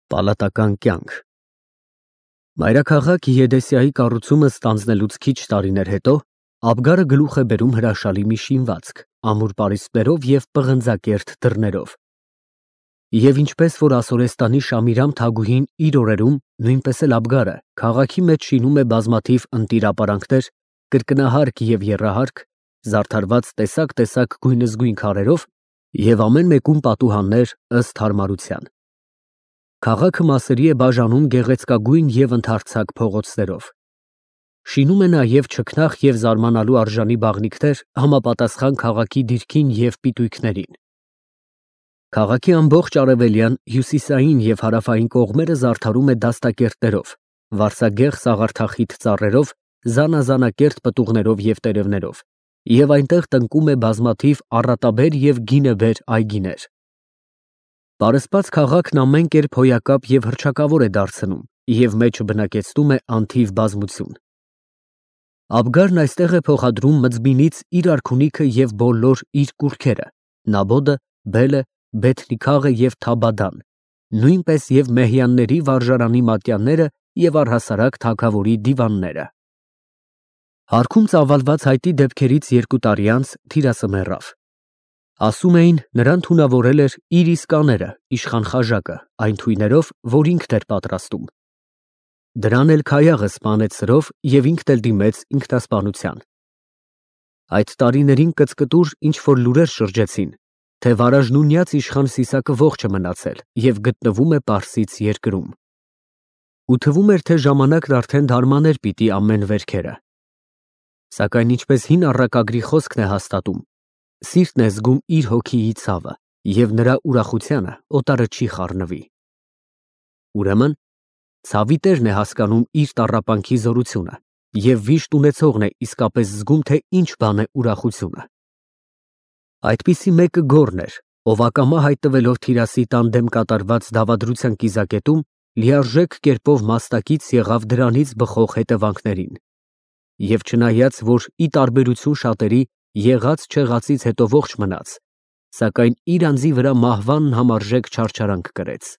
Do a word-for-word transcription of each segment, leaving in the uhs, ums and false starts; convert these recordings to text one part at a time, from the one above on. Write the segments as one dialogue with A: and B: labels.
A: Պալատական կյանք։ Մայրաքաղաք Եդեսիայի կառուցումը ստանձնելուց քիչ տարիներ հետո Աբգարը գլուխ է բերում հրաշալի մի շինվածք, ամուր պարիսպներով և պղնձակերտ դռներով։ Եվ ինչպես որ Ասորեստանի Շամիրամ Թագուհին իր օրերում, նույնպես էլ Աբգարը քաղաքի մեջ շինում է բազմաթիվ ընտիր ապարանքներ, կրկնահարկ և եռահարկ, զարդարված տեսակ֊տեսակ գույնզգույն քարերով և ամեն մեկում պատուհաններ ըստ հարմարության։ Քաղաքը մասերի է բաժանում գեղեցկագույն և ընդարձակ փողոցներով։ Շինում է նաև չքնաղ և զարմանալու արժանի բաղնիքներ համապատասխան քաղաքի դիրքին և պիտույքներին։ Քաղաքի ամբողջ արևելյան, հյուսիսային և հարավային կողմերը զարդարում է դաստակերտներով, վարսագեղ սաղարթախիտ ծառերով, զանազանակերտ պտուղներով և տերևներով, և այնտեղ տնկում է բազմաթիվ առատաբեր և գինեբեր այգիներ։ Պարսպած քաղաքն ամեն կերպ հոյակապ և հռչակավոր է դարձնում և մեջը բնակեցնում է անթիվ բազմություն։ Աբգարն այստեղ է փոխադրում մզմինից իր արքունիքը և բոլոր իր կուռքերը՝ Նաբոդը, Բելը, Բեթնիքաղը և Թաբադան, նույնպես և Մեհյանների վարժարանի մատյանները և առհասարակ թագավորի դիվանները։ Հարքում ծավալված հայտի դեպքերից երկու տարի անց թիրասը մեռավ։ Ասում էին, նրան թունավորել էր իր իսկ աները, իշխան Խաժակը, այն թույներով, որ ինքն էր պատրաստում։ Դրան էլ Քայաղը սպանեց սրով և ինքն էլ դիմեց ինքնասպանության։ Այդ տարիներին կծկտուր ինչ֊որ լուրեր շրջեցին, թե վարաժնունյաց իշխան Սիսակը ողջ է մնացել և գտնվում է Պարսից երկրում։ Ու թվում էր, թե ժամանակն արդեն դարմաներ պիտի ամեն վերքերը։ Սակայն ինչպես հին առակագրի խոսքն է հաստատում, սիրտն է զգում իր հոգիի ցավը, և նրա ուրախությանը օտարը չի խառնվի։ Ուրեմն ցավի տերն է հասկանում իր տառապանքի զորությունը և վիշտ ունեցողն է իսկապես զգում, թե ինչ բան է ուրախությունը։ Այդպիսի մեկը Գոռն էր, ով ակամա հայտնվելով Թիրասի տան դեմ կատարված դավադրության կիզակետում, լիարժեք կերպով մասնակից եղավ դրանից բխող հետևանքներին։ Եվ չնայած, որ ի տարբերություն շատերի, եղած֊չեղածից հետո ողջ մնաց, սակայն իր անձի վրա մահվանն համարժեք չարչարանք կրեց։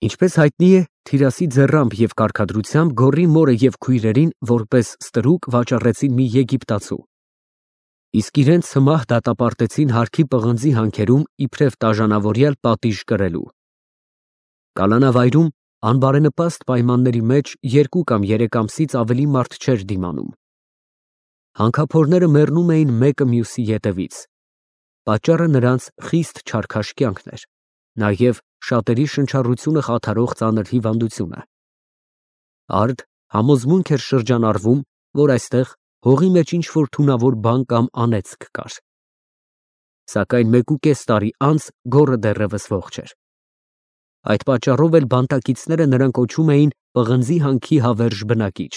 A: Ինչպես հայտնի է, Թիրասի ձեռամբ և կարգադրությամբ Գոռի մորը և քույրերին որպես ստրուկ վաճառեցին մի եգիպտացու, իսկ իրենց սմահ դատապարտեցին հարքի պղնձի հանքերում իբրև տաժանավորյալ պատիժ կրելու։ Կալանավայրում անբարենպաստ պայմանների մեջ երկու կամ երեք ամսից ավելի մարդ չէր դիմանում։ Հանքափորները մեռնում էին մեկը մյուսի ետևից։ Պատճառը նրանց խիստ չարքաշ կյանքն էր, նաև շատերի շնչառությունը խաթարող ծանր հիվանդությունը։ Արդ համոզմունք էր շրջանառվում, որ այստեղ հողի մեջ ինչ֊որ թունավոր բան կամ անեծք կար։ Սակայն մեկուկես տարի անց Գոռը դեռևս ողջ էր։ Այդ պատճառով էլ բանտակիցները նրան կոչում էին պղնձի հանքի հավերժ բնակիչ։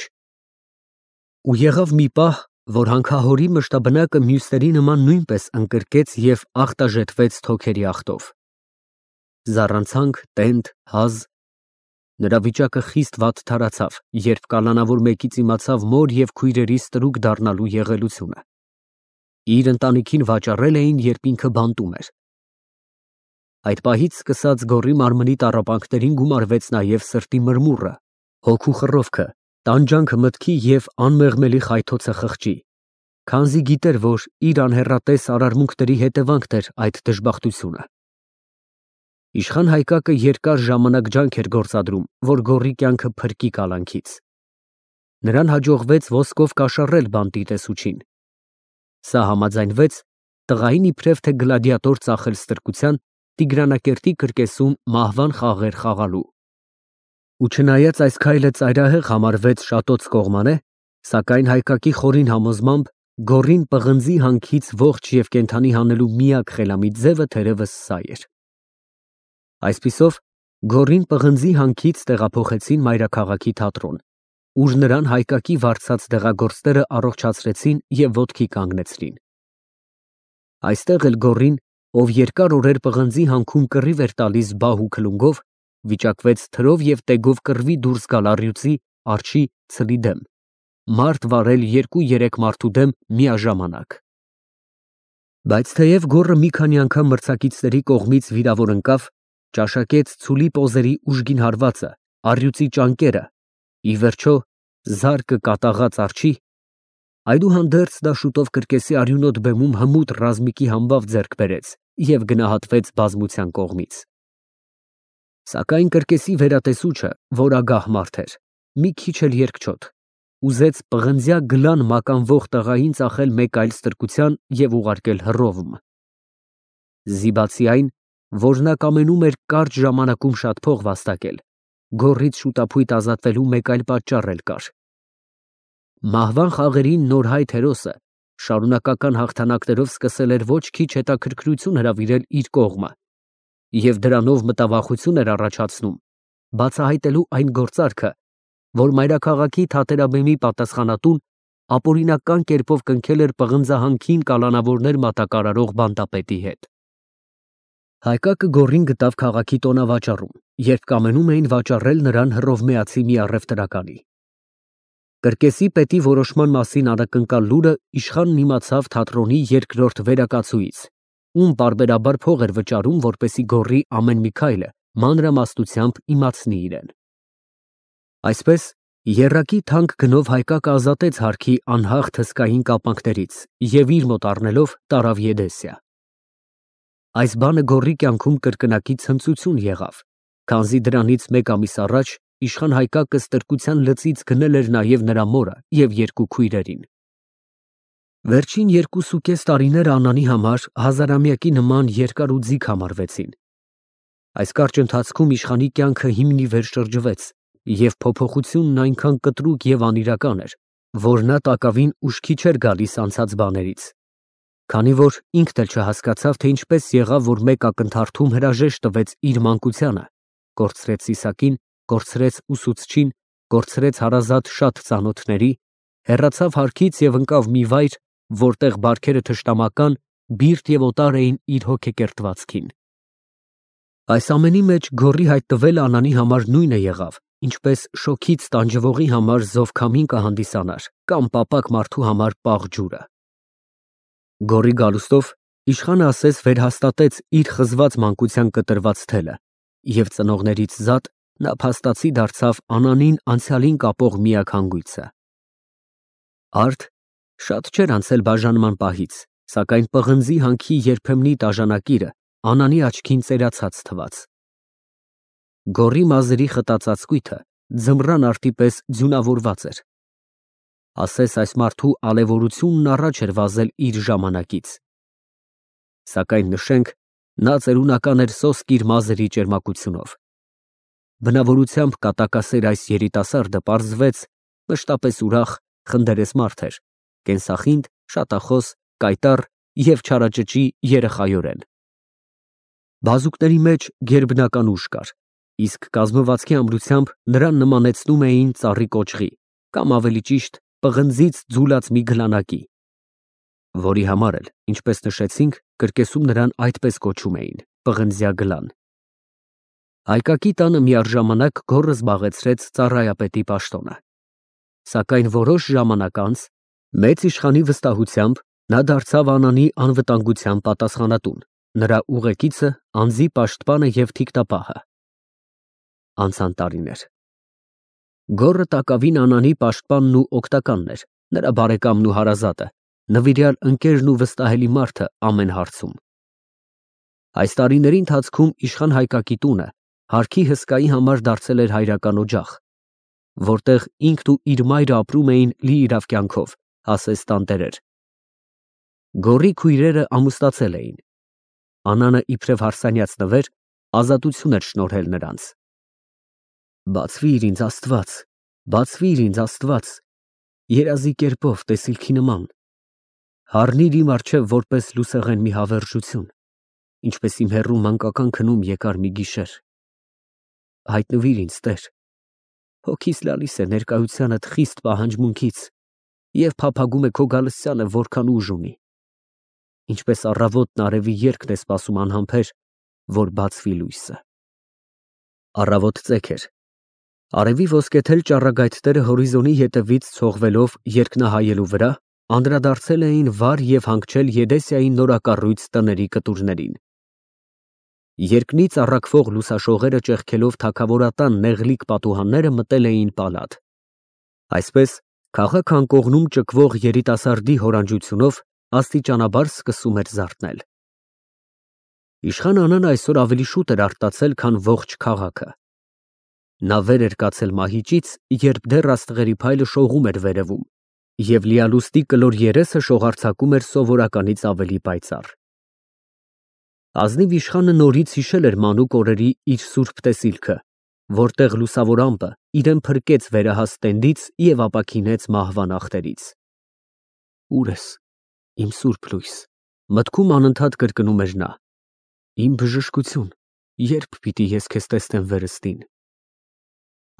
A: Ու եղավ մի պահ, որ հանքահորի մշտաբնակը մյուսների նման նույնպես ընկրկեց և ախտաժետվեց թոքերի ախտով։ Զառանցանք, տենդ, հազ։ Նրա վիճակը խիստ վատթարացավ, երբ կալանավոր մեկից իմացավ մոր և քույրերի ստրուկ դառնալու եղելությունը։ Իր ընտանիքին վաճառել էին, երբ ինքը բանտում էր։ Այդ պահից սկսած Գոռի մարմնի տառապանքներին գումարվեց նաև սրտի մրմուռը, հոգու խռովքը, տանջանքը մտքի և անմեղմելի խայթոցը խղճի, քանզի գիտեր, որ իր անհեռատես արարմունքների հետևանքն էր այդ դժբախտությունը։ Իշխան Հայկակը երկար ժամանակ ջանք էր գործադրում, որ Գոռի կյանքը փրկի կալանքից։ Նրան հաջողվեց ոսկով կաշառել բանտի տեսուչին։ Սա համաձայնվեց տղային իբրև թե գլադիատոր ծախել ստրկության, Տիգրանակերտի կրկեսում մահվան խաղեր խաղալու։ Ու չնայած այս քայլը ծայրահեղ համարվեց շատոց կողմանե, սակայն Հայկակի խորին համոզմամբ Գոռին պղնձի հանքից ողջ և կենդանի հանելու միակ խելամիտ ձևը թերևս սա էր։ Այսպիսով Գոռին պղնձի հանքից տեղափոխեցին մայրաքաղաքի թատրոն, ուր նրան Հայկակի վարձած դեղագործները առողջացրեցին և ոտքի կանգնեցրին։ Այստեղ էլ Գոռին, ով երկար օրեր պղնձի հանքում կռիվ էր տալիս բահ ու քլունգով, վիճակվեց թրով և տեգով կռվի դուրս գալ առյուծի, արջի, ցլի դեմ, մարդ վարել երկու֊երեք մարդու դեմ միաժամանակ։ Բայց թեև Գոռը մի քանի անգամ մրցակիցների կողմից վիրավոր ընկավ, ճաշակեց ցուլի պոզերի ուժգին հարվածը, առյուծի ճանկերը, ի վերջո զարկը կատաղած արջի, այդուհանդերձ դա շուտով կրկեսի արյունոտ բեմում հմուտ ռազմիկի համբավ ձեռք բերեց և գնահատվեց բազմության կողմից։ Սակայն կրկեսի վերատեսուչը, որ ագահ մարդ էր, մի քիչ էլ երկչոտ, ուզեց պղնձյա գլան մականվող տղային ծախել մեկ այլ ստրկության և ուղարկել հռովում։ Զիբացի այն, որ նա կամենում էր կարճ ժամանակում շատ փող վաստակել, գոռից շուտափույթ ազատվելու մեկ այլ պատճառ էլ կար։ Մահվան խաղերին նոր հայ հերոսը շարունակական հաղթանակներով սկսել էր ոչ քիչ հետաքրքրություն հրավիրել իր կողմը և դրանով մտավախություն էր առաջացնում, բացահայտելու այն գործարքը, որ մայրաքաղաքի թատերաբեմի պատասխանատուն ապօրինական կերպով կնքել էր պղնձահանքին կալանավորներ մատակարարող բանտապետի հետ։ Հայկակը գոռին գտավ քաղաքի տոնավաճառում, երբ կամենում էին վաճառել նրան հռովմեացի մի առևտրականի։ Կրկեսի պետի որոշման մասին անակնկալ լուրը իշխանն իմացավ թատրոնի երկրորդ վերակացուից, ում պարբերաբար փող էր վճարում, որպեսզի գոռի ամեն մի քայլը մանրամասնությամբ իմացնի իրեն։ Այսպես, եռակի թանկ գնով Հայկակը ազատեց հարկի անհաղթ հսկային կապանքներից և իր մոտ առնելով տարավ Եդեսիա։ Այս բանը գոռի կյանքում կրկնակի ցնծություն եղավ, քանզի դրանից մեկ ամիս առաջ իշխան Հայկակը ստրկության լծից գնել էր նաև նրա մորը և երկու քույրերին։ Վերջին երկուսուկես տարիները Անանի համար հազարամյակի նման երկար ու ձիգ համարվեցին։ Այս կարճ ընթացքում իշխանի կյանքը հիմնիվեր շրջվեց, և փոփոխությունն այնքան կտրուկ և անիրական էր, որ նա տակավին ուշքի չէր գալիս անցած բաներից, քանի որ ինքն էլ չհասկացավ, թե ինչպես եղավ, որ մեկ ակնթարթում հրաժեշտ տվեց իր մանկությանը, կորցրեց Իսակին, կորցրեց ուսուցչին, կորցրեց հարազատ շատ ծանոթների, հեռացավ հարկից և ընկավ մի վայր, որտեղ բարքերը թշնամական, բիրտ և օտար էին իր հոգեկերտվածքին։ Այս ամենի մեջ գոռի հայտնվելը Անանի համար նույնը եղավ, ինչպես շոգից տանջվողի համար զովքամին կհանդիսանար կամ պապակ մարդու համար պաղ ջուրը։ Գոռի գալուստով իշխանը ասես վերհաստատեց իր խզված մանկության կտրված թելը, և ծնողներից զատ նա փաստացի դարձավ Անանին անցյալին կապող միակ հանգույցը։ Արդ շատ չէր անցել բաժանման պահից, սակայն պղնձի հանքի երբեմնի տաժանակիրը Անանի աչքին ծերացած թվաց։ Գոռի մազերի խտած ծածկույթը ձմռան արտի պես ձյունավորված էր։ Ասես այս մարդու ալևորությունն առաջ էր վազել իր ժամանակից։ Սակայն նշենք, նա ծերունական էր սոսկ իր մազերի ճերմակությունով։ Բնավորությամբ կատակասեր այս երիտասարդը պարզվեց մշտապես ուրախ, խնդերես մարդ էր, կենսախինդ, շատախոս, կայտառ և չարաճճի երեխայորեն։ Բազուկների մեջ գերբնական ուժ կար, իսկ կազմվածքի ամրությամբ նրան նմանեցնում էին ծառի կոճղի, կամ ավելի ճիշտ պղնձից ձուլած մի գլանակի, որի համար էլ, ինչպես նշեցինք, կրկեսում նրան այդպես կոչում էին՝ պղնձյա գլան։ Հայկակի տանը միառժամանակ գոռը զբաղեցրեց ծառայապետի պաշտոնը։ Սակայն որոշ ժամանակ անց, մեծ իշխանի վստահությամբ, նա դարձավ Անանի անվտանգության պատասխանատուն, նրա ուղեկիցը, անձի պաշտպանը և թիկնապահը։ Անցան տարիներ։ Գոռը տակավին Անանի պաշտպանն ու օգտականն էր, նրա բարեկամն ու հարազատը, նվիրյալ ընկերն ու վստահելի մարդը ամեն հարցում։ Այս տարիների ընթացքում իշխան Հայկակի տունը հարկի հսկայի համար դարձել էր հայրական օջախ, որտեղ ինքն ու իր մայրը ապրում էին լիիրավ կյանքով, ասես տանտերեր։ Գոռի քույրերը ամուսնացել էին։ Անանը իբրև հարսանյաց նվեր ազատություն էր շնորհել նրանց։ Բացվի՛ր ինձ Աստված, բացվի՛ր ինձ Աստված, երազի կերպով, տեսիլքի նման, հառնիր իմ առջև որպես լուսեղեն մի հավերժություն, ինչպես իմ հեռու մանկական քնում եկար մի գիշեր։ Հայտնվիր ինձ, Տեր, հոգիս լալիս է ներկայությանդ խիստ պահանջմունքից և փափագում է քո գալստյանը որքան ուժ ունի, ինչպես առավոտն արևի երգն է սպասում անհամբեր, որ բացվի լույսը։ Առավոտ ծեք էր։ Արևի ոսկեթել ճառագայթները հորիզոնի ետևից ցողվելով երկնահայելու վրա, անդրադարձել էին վար և հանգչել Եդեսիայի նորակառույց տների կտուրներին։ Երկնից առաքվող լուսաշողերը ճեղքելով թագավորատան նեղլիկ պատուհանները մտել էին պալատ։ Այսպես քաղաք անկողնում ճկվող երիտասարդի հորանջությունով աստիճանաբար սկսում էր զարթնել։ Իշխան Անան այսօր ավելի շուտ էր արտացել, քան ողջ քաղաքը։ Նա վեր էր կացել մահիճից, երբ դեռ աստղերի փայլը շողում էր վերևում, և լիալուստի կլոր երեսը շողարձակում էր սովորականից ավելի պայծառ։ Ազնիվ իշխանը նորից հիշել էր մանուկ օրերի իր սուրբ տեսիլքը, որտեղ լուսավոր ամպը իրեն փրկեց վերահաս տենդից և ապաքինեց մահվան ախտերից։ Ո՞ւր ես, իմ սուրբ լույս, մտքում անընդհատ կրկնում էր նա։ Իմ բժշկություն, ե՞րբ պիտի ես քեզ տեսնեմ վերստին։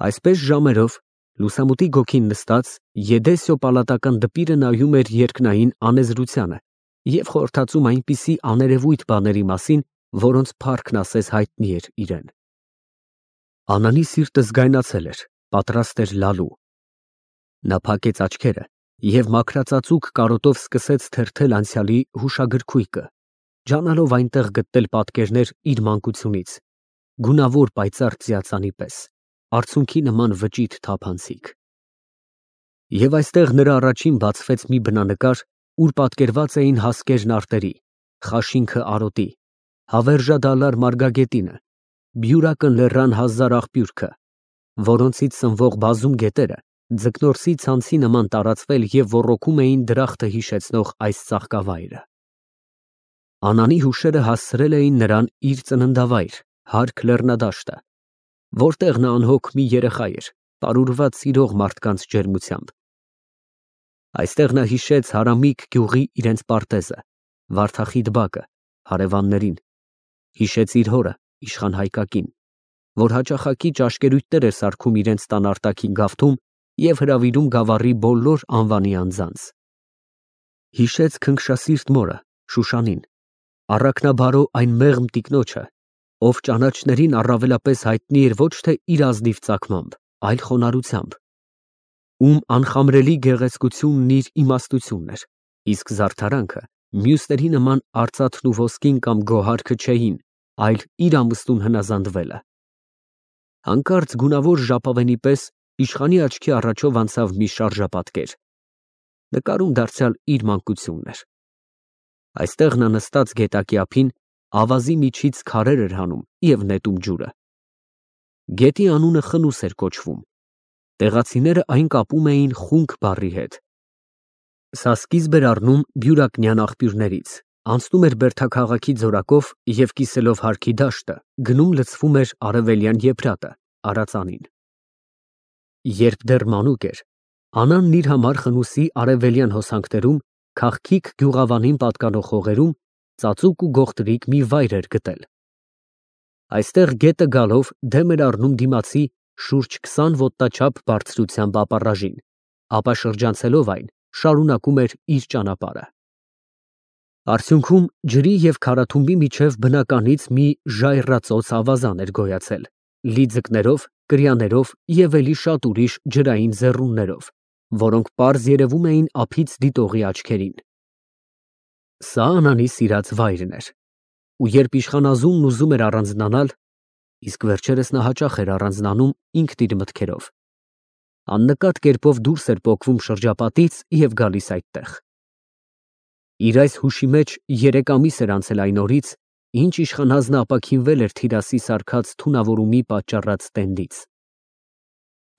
A: Այսպես ժամերով, լուսամուտի գոգին նստած, Եդեսիո պալատական դպիրը նայում էր երկնային անեզրությանը և խորհրդածում այնպիսի աներևույթ բաների մասին, որոնց փառքն ասես հայտնի էր իրան։ Անանի սիրտը զգայնացել էր, պատրաստ էր լալու։ Նա փակեց աչքերը և մաքրածածուկ կարոտով սկսեց թերթել անցյալի հուշագրքույկը, ջանալով այնտեղ գտնել պատկերներ իր մանկությունից, գունավոր պայծառ ծիածանի պես, արցունքի նման վճիտ թափանցիկ։ Եվ այստեղ նրա առաջին բացվեց մի բնանկար, ուր պատկերված էին հասկերն արտերի, խաշինքը արոտի, հավերժադալար մարգագետինը, բյուրակն լեռան հազար աղբյուրքը, որոնցից սնվող բազում գետերը ձկնորսի ցանցի նման տարածվել և ոռոգում էին դրախտը հիշեցնող այս ծաղկավայրը։ Անանի հուշերը հասցրել էին նրան իր ծննդավայր, հարկ լեռնադաշտը, որտեղ նա անհոգ մի երեխա էր, պարուրված սիրող մարդկանց ջերմությամբ։ Այստեղ նա հիշեց Հարամիկ գյուղի իրենց պարտեզը, Վարդախիտ բակը, հարևաններին, հիշեց իր հորը, իշխան Հայկակին, որ հաճախակի ճաշկերույթներ էր սարքում իրենց տան արտաքին գավթում և հրավիրում գավառի բոլոր անվանի անձանց։ Հիշեց քնքշասիրտ մորը, Շուշանին, առաքնաբարո այն մեղմ տիկնոջը, ով ճանաչներին առավելապես հայտնի էր ոչ թե իր ազնիվ ծագմամբ, այլ խոնարհությամբ, ում անխամրելի գեղեցկությունն իր իմաստությունն էր, իսկ զարդարանքը մյուսների նման արծաթն ու ոսկին կամ գոհարը չէին, այլ իր ամուսնուն հնազանդվելը։ Հանկարծ գունավոր ժապավենի պես իշխանի աչքի առաջով անցավ մի շարժապատկեր, նկարում դարձյալ իր մանկությունն էր։ Այստեղ նա նստած գետակի ափին ավազի միջից քարեր էր հանում և նետում ջուրը։ Գետի անունը Խնուս էր կոչվում, տեղացիները այն կապում էին խունկ բառի հետ։ Սա սկիզբ էր առնում բյուրակնյան աղբյուրներից, անցնում էր Բերդաքաղաքի ձորակով և կիսելով հարկի դաշտը, գնում լցվում էր արևելյան Եփրատը, Արածանին։ Երբ դեռ մանուկ էր, Անանն իր համար Խնուսի արևելյան հոսանքներում, քաղքիկ գյուղավանին պատկանող հողերում ծածուկ ու գողտրիկ մի վայր էր գտել։ Այստեղ գետը գալով դեմ էր առնում դիմացի շուրջ քսան ոտնաչափ բարձրությամբ ապառաժին, ապա շրջանցելով այն, շարունակում էր իր ճանապարհը։ Արդյունքում ջրի և քարաթումբի միջև բնականից մի ժայռածոց ավազան էր գոյացել, լի ձկներով, կրյաներով և էլի շատ ուրիշ ջրային ձեռումներով, որոնք պարզ երևում էին ափից դիտողի աչքերին։ Սա Անանի սիրած վայրն էր, ու երբ իշխանազունն ուզում էր առանձնանալ, իսկ վերջերս նա հաճախ էր առանձնանում ինքն իր մտքերով, աննկատ կերպով դուրս էր պոկվում շրջապատից և գալիս այդտեղ։ Իր այս հուշի մեջ երեք ամիս էր անցել այն օրից, ինչ իշխանազնը ապաքինվել էր Թիրասի սարքած թունավորումի պատճառած տենդից։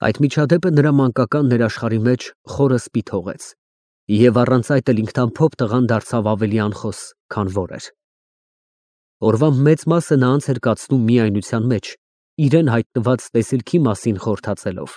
A: Այդ միջադեպը նրա մանկական ներաշխարհի մեջ խորը սպի թողեց, և առանց այդ էլ ինքնամփոփ տղան դարձավ ավելի անխոս, քան որ էր։ Օրվա մեծ մասը նա անց էր կացնում միայնության մեջ, իրան հայտնված տեսիլքի մասին խորհրդածելով։